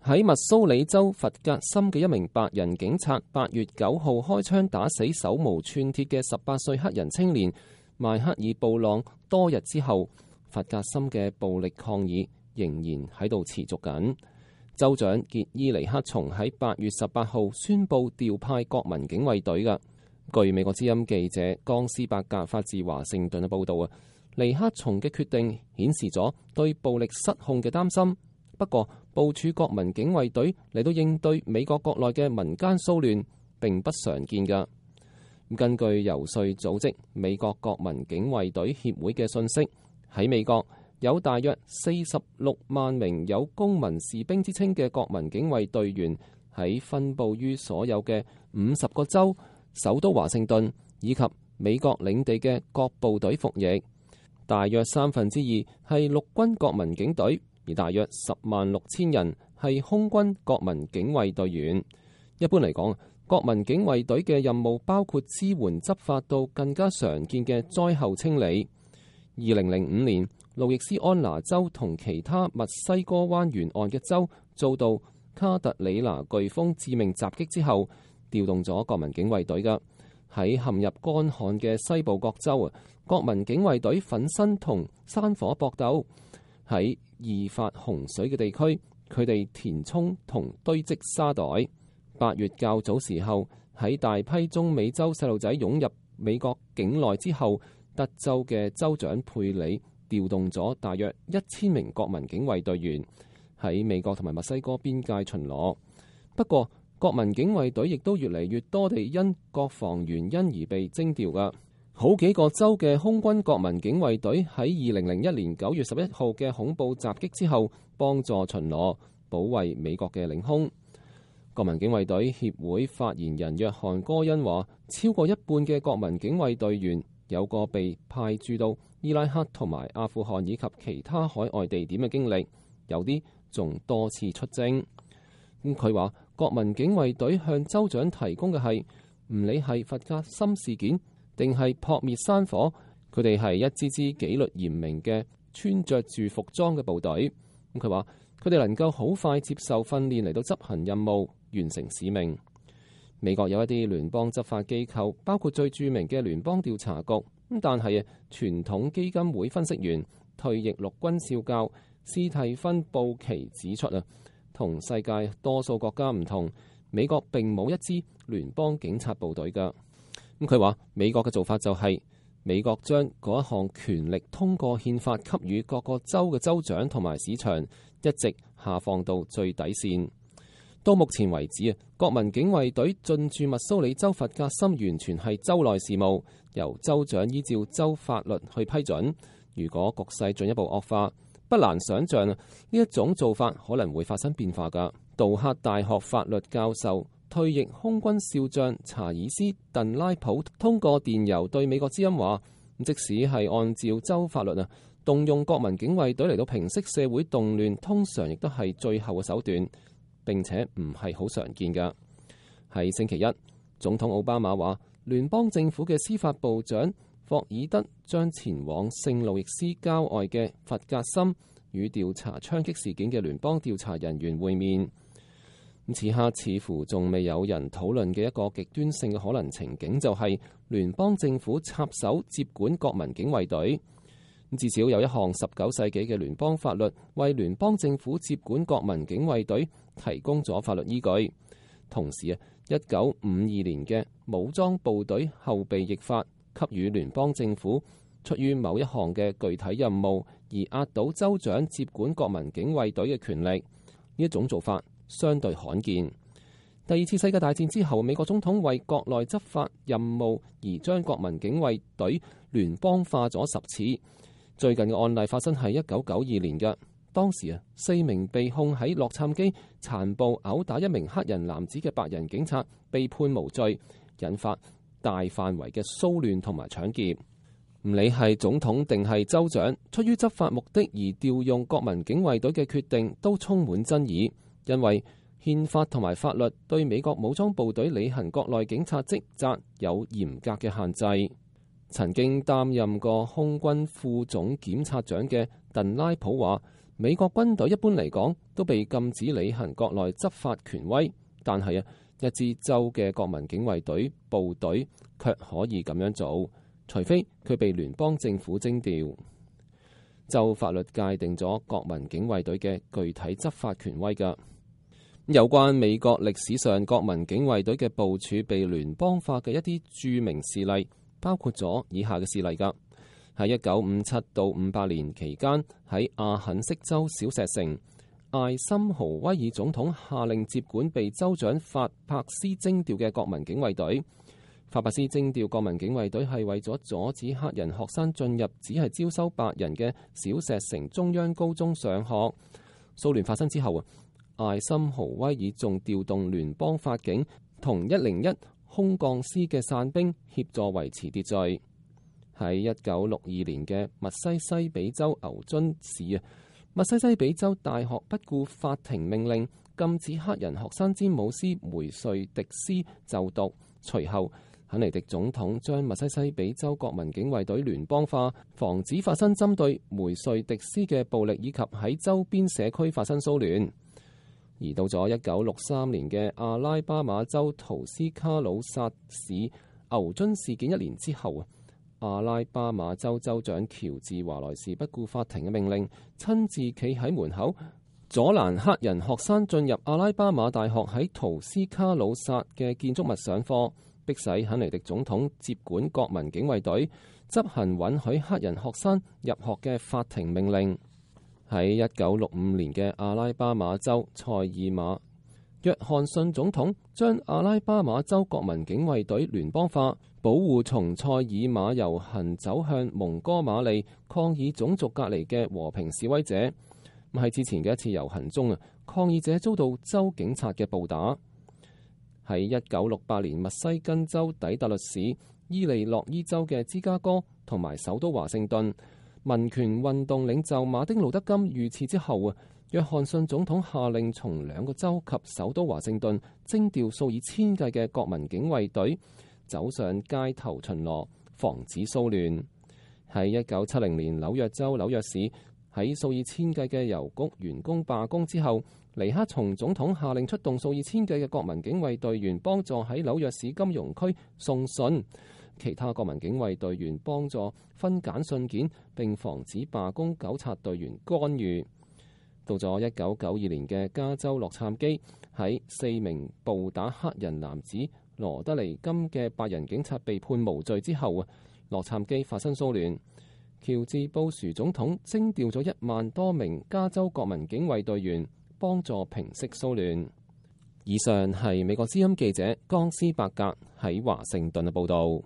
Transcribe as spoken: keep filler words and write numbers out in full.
喺密蘇里州弗格森嘅一名白人警察八月九號開槍打死手無寸鐵嘅十八歲黑人青年邁克爾布朗，多日之後，弗格森嘅暴力抗議仍然喺度持續緊。州長傑伊尼克松喺八月十八號宣布調派國民警衛隊嘅。據美國之音記者江斯伯格發自華盛頓嘅報導啊，尼克松嘅決定顯示咗對暴力失控嘅擔心。不過，部署國民警衛隊嚟到應對美國國內嘅民間騷亂並不常見㗎。根據遊說組織美國國民警衛隊協會嘅信息，喺美國有大約四十六萬名有公民士兵之稱嘅國民警衛隊員喺分佈於所有嘅五十個州、首都華盛頓以及美國領地嘅各部隊服役。大約三分之二係陸軍國民警隊，而大約十萬六千人係空軍國民警衛隊員。一般嚟講，國民警衛隊嘅任務包括支援執法到更加常見嘅災後清理。二零零五年，路易斯安那州同其他墨西哥灣沿岸嘅州遭到卡特里娜颶風致命襲擊之後，調動咗國民警衛隊㗎。喺陷入乾旱嘅西部各州啊，國民警衛隊奮身同山火搏鬥。喺易發洪水嘅地區，佢哋填充同堆積沙袋。八月較早時候，喺大批中美洲細路仔湧入美國境內之後，德州嘅州長佩里調動咗大約一千名國民警衛隊員喺美國同埋墨西哥邊界巡邏。不過，國民警衛隊亦都越嚟越多地因國防原因而被徵調㗎。好幾個州嘅空軍國民警衛隊喺二零零一年九月十一號嘅恐怖襲擊之後，幫助巡邏，保衛美國嘅領空。國民警衛隊協會發言人約翰戈恩話，超過一半嘅國民警衛隊員有過被派駐到伊拉克同埋阿富汗以及其他海外地點嘅經歷，有啲仲多次出征。咁佢話，國民警衛隊向州長提供嘅係唔理係弗格森事件定係撲滅山火，佢哋係一支支紀律嚴明嘅穿着住服裝嘅部隊。咁佢話，佢哋能夠好快接受訓練嚟到執行任務，完成使命。美國有一啲聯邦執法機構，包括最著名嘅聯邦調查局。咁但係啊，傳統基金會分析員、退役陸軍少校斯蒂芬布奇指出啊，同世界多數國家唔同，美國並冇一支聯邦警察部隊㗎。咁佢話，美國嘅做法就係、是、美國將嗰一項權力通過憲法給予各個州嘅州長同埋市場，一直下放到最底線。到目前為止啊，國民警衛隊進駐密蘇里州弗格森完全係州內事務，由州長依照州法律去批准。如果局勢進一步惡化，不難想像啊，呢一種做法可能會發生變化㗎。杜克大學法律教授、退役空軍少將查爾斯·鄧拉普通過電郵對美國之音話，即使係按照州法律啊，動用國民警衛隊嚟到平息社會動亂，通常亦都係最後嘅手段，並且唔係好常見㗎。喺星期一，總統奧巴馬話，聯邦政府嘅司法部長霍爾德將前往聖路易斯郊外嘅弗格森與調查槍擊事件嘅聯邦調查人員會面。此刻似乎仲未有人討論嘅一個極端性嘅可能情景，就係聯邦政府插手接管國民警衛隊。至少有一項十九世紀嘅聯邦法律為聯邦政府接管國民警衛隊提供咗法律依據。同時啊，一九五二年嘅武裝部隊後備役法給予聯邦政府出於某一項嘅具體任務而壓倒州長接管國民警衛隊嘅權力。呢一種做法相對罕見。第二次世界大戰之後，美國總統為國內執法任務而將國民警衛隊聯邦化咗十次。最近嘅案例發生喺一九九二年嘅，當時啊，四名被控喺洛杉磯殘暴毆打一名黑人男子嘅白人警察被判無罪，引發大範圍嘅騷亂同埋搶劫。唔理係總統定係州長，出於執法目的而調用國民警衛隊嘅決定都充滿爭議。因為憲法同埋法律對美國武裝部隊履行國內警察職責有嚴格嘅限制。曾經擔任過空軍副總檢察長嘅鄧拉普話，美國軍隊一般嚟講都被禁止履行國內執法權威，但係啊，一支州嘅國民警衛隊部隊卻可以咁樣做，除非佢被聯邦政府徵調。州法律界定咗國民警衛隊嘅具體執法權威㗎。有關美國歷史上國民警衛隊嘅部署被聯邦化嘅一啲著名事例，包括咗以下嘅事例㗎。喺一九五七到五八年期間，喺阿肯色州小石城，艾森豪威爾總統下令接管被州長法柏斯徵調嘅國民警衛隊。法柏斯徵調國民警衛隊係為咗阻止黑人學生進入只係招收白人嘅小石城中央高中上學。騷亂發生之後啊，艾森豪威爾仲調動聯邦法警同一零一空降師嘅傘兵協助維持秩序。喺一九六二年嘅密西西比州牛津市啊，密西西比州大學不顧法庭命令，禁止黑人學生詹姆斯梅瑞迪斯就讀。隨後，肯尼迪總統將密西西比州國民警衛隊聯邦化，防止發生針對梅瑞迪斯嘅暴力，以及喺周邊社區發生騷亂。而到咗一九六三年嘅阿拉巴馬州圖斯卡魯薩市牛津事件一年之後啊，阿拉巴馬州州長喬治華萊士不顧法庭嘅命令，親自企喺門口阻攔黑人學生進入阿拉巴馬大學喺圖斯卡魯薩嘅建築物上課，迫使肯尼迪總統接管國民警衛隊，執行允許黑人學生入學嘅法庭命令。喺一九六五年嘅阿拉巴馬州塞爾馬，約翰遜總統將阿拉巴馬州國民警衛隊聯邦化，保護從塞爾馬遊行走向蒙哥馬利抗議種族隔離嘅和平示威者。喺之前嘅一次遊行中啊，抗議者遭到州警察嘅暴打。喺一九六八年密西根州底特律市、伊利諾伊州嘅芝加哥同埋首都華盛頓，民權運動領袖馬丁路德金遇刺之後啊，約翰遜總統下令從兩個州及首都華盛頓徵調數以千計嘅國民警衛隊，走上街頭巡邏，防止騷亂。喺一九七零年紐約州紐約市，喺數以千計嘅郵局員工罷工之後，尼克松總統下令出動數以千計嘅國民警衛隊員幫助喺紐約市金融區送信。其他國民警衛隊員幫助分揀信件，並防止罷工糾察隊員干預。到咗一九九二年嘅加州洛杉磯，喺四名暴打黑人男子羅德尼金嘅白人警察被判無罪之後啊，洛杉磯發生騷亂。喬治布殊總統徵調咗一萬多名加州國民警衛隊員幫助平息騷亂。以上係美國之音記者江斯伯格喺華盛頓嘅報導。